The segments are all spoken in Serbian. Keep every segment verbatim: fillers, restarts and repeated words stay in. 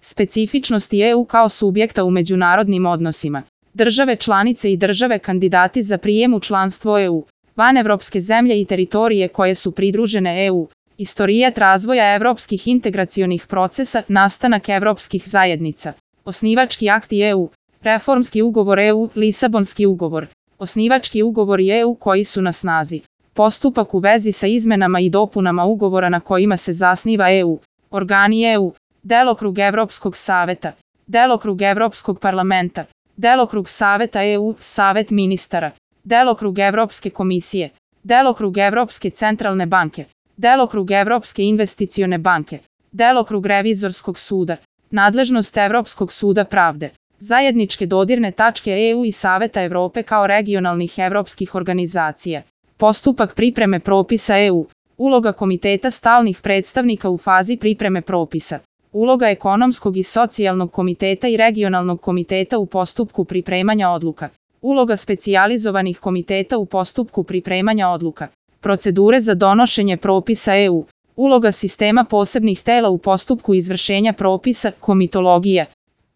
Specifičnosti E U kao subjekta u međunarodnim odnosima. Države članice i države kandidati za prijem u članstvo E U. Vanevropske zemlje i teritorije koje su pridružene E U. Istorijat razvoja evropskih integracionih procesa, nastanak evropskih zajednica. Osnivački akti E U. Reformski ugovor E U, Lisabonski ugovor. Osnivački ugovori E U koji su na snazi. Postupak u vezi sa izmenama i dopunama ugovora na kojima se zasniva E U. Organi E U. Delokrug Evropskog saveta. Delokrug Evropskog parlamenta. Delokrug Saveta E U, Savet ministara. Delokrug Evropske komisije. Delokrug Evropske centralne banke. Delokrug Evropske investicione banke. Delokrug Revizorskog suda. Nadležnost Evropskog suda pravde. Zajedničke dodirne tačke E U i Saveta Evrope kao regionalnih evropskih organizacija. Postupak pripreme propisa E U. Uloga Komiteta stalnih predstavnika u fazi pripreme propisa. Uloga Ekonomskog i socijalnog komiteta i regionalnog komiteta u postupku pripremanja odluka. Uloga specijalizovanih komiteta u postupku pripremanja odluka. Procedure za donošenje propisa E U. Uloga sistema posebnih tela u postupku izvršenja propisa, komitologija.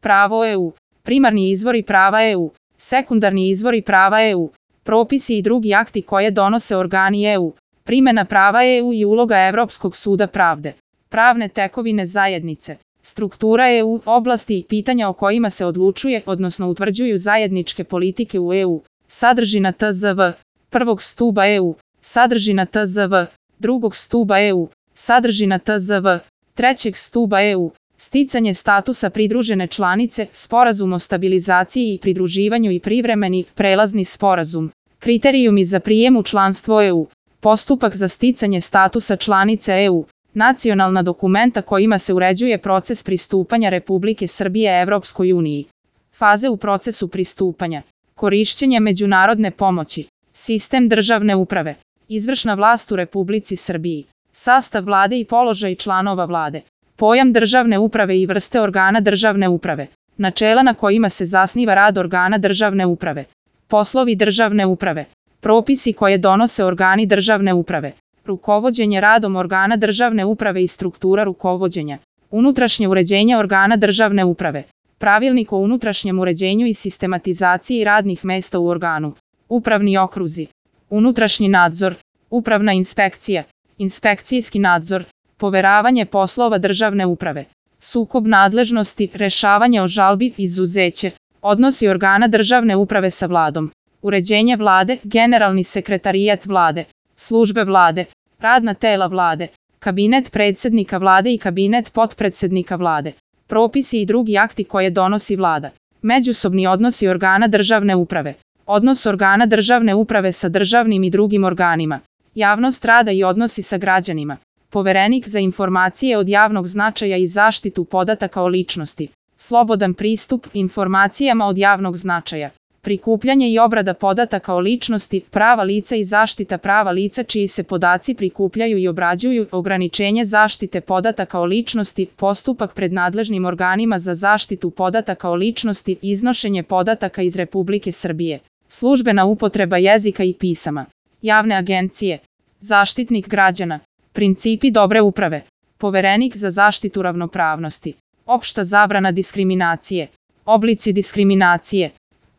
Pravo E U. Primarni izvori prava E U. Sekundarni izvori prava E U. Propisi i drugi akti koje donose organi E U. Primjena prava E U i uloga Evropskog suda pravde. Pravne tekovine zajednice. Struktura E U, oblasti i pitanja o kojima se odlučuje, odnosno utvrđuju zajedničke politike u E U. Sadržina T Z V. Prvog stuba E U. Sadržina T Z V. Drugog stuba E U. Sadržina T Z V. Trećeg stuba E U. Sticanje statusa pridružene članice, sporazum o stabilizaciji i pridruživanju i privremeni, prelazni sporazum. Kriterijumi za prijem u članstvo E U. Postupak za sticanje statusa članice E U. Nacionalna dokumenta kojima se uređuje proces pristupanja Republike Srbije Evropskoj uniji. Faze u procesu pristupanja. Korišćenje međunarodne pomoći. Sistem državne uprave. Izvršna vlast u Republici Srbiji. Sastav vlade i položaj članova vlade. Pojam državne uprave i vrste organa državne uprave. Načela na kojima se zasniva rad organa državne uprave. Poslovi državne uprave. Propisi koje donose organi državne uprave. Rukovođenje radom organa državne uprave i struktura rukovođenja. Unutrašnje uređenje organa državne uprave. Pravilnik o unutrašnjem uređenju i sistematizaciji radnih mesta u organu. Upravni okruzi. Unutrašnji nadzor. Upravna inspekcija. Inspekcijski nadzor. Poveravanje poslova državne uprave. Sukob nadležnosti, rešavanje o žalbi, izuzeće. Odnosi organa državne uprave sa vladom. Uređenje vlade, generalni sekretarijat vlade. Službe vlade. Radna tela vlade. Kabinet predsjednika vlade i kabinet potpredsjednika vlade. Propisi i drugi akti koje donosi vlada. Međusobni odnosi organa državne uprave. Odnos organa državne uprave sa državnim i drugim organima. Javnost rada i odnosi sa građanima. Poverenik za informacije od javnog značaja i zaštitu podataka o ličnosti. Slobodan pristup informacijama od javnog značaja. Prikupljanje i obrada podataka o ličnosti, prava lica i zaštita prava lica čiji se podaci prikupljaju i obrađuju, ograničenje zaštite podataka o ličnosti, postupak pred nadležnim organima za zaštitu podataka o ličnosti, iznošenje podataka iz Republike Srbije. Službena upotreba jezika i pisama. Javne agencije. Zaštitnik građana. Principi dobre uprave. Poverenik za zaštitu ravnopravnosti. Opšta zabrana diskriminacije. Oblici diskriminacije.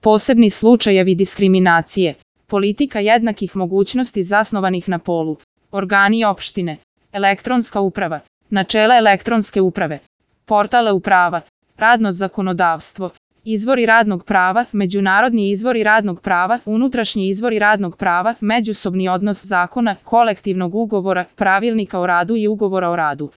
Posebni slučajevi diskriminacije. Politika jednakih mogućnosti zasnovanih na polu. Organi opštine. Elektronska uprava. Načela elektronske uprave. Portal e-uprava. Radno zakonodavstvo. Izvori radnog prava, međunarodni izvori radnog prava, unutrašnji izvori radnog prava, međusobni odnos zakona, kolektivnog ugovora, pravilnika o radu i ugovora o radu.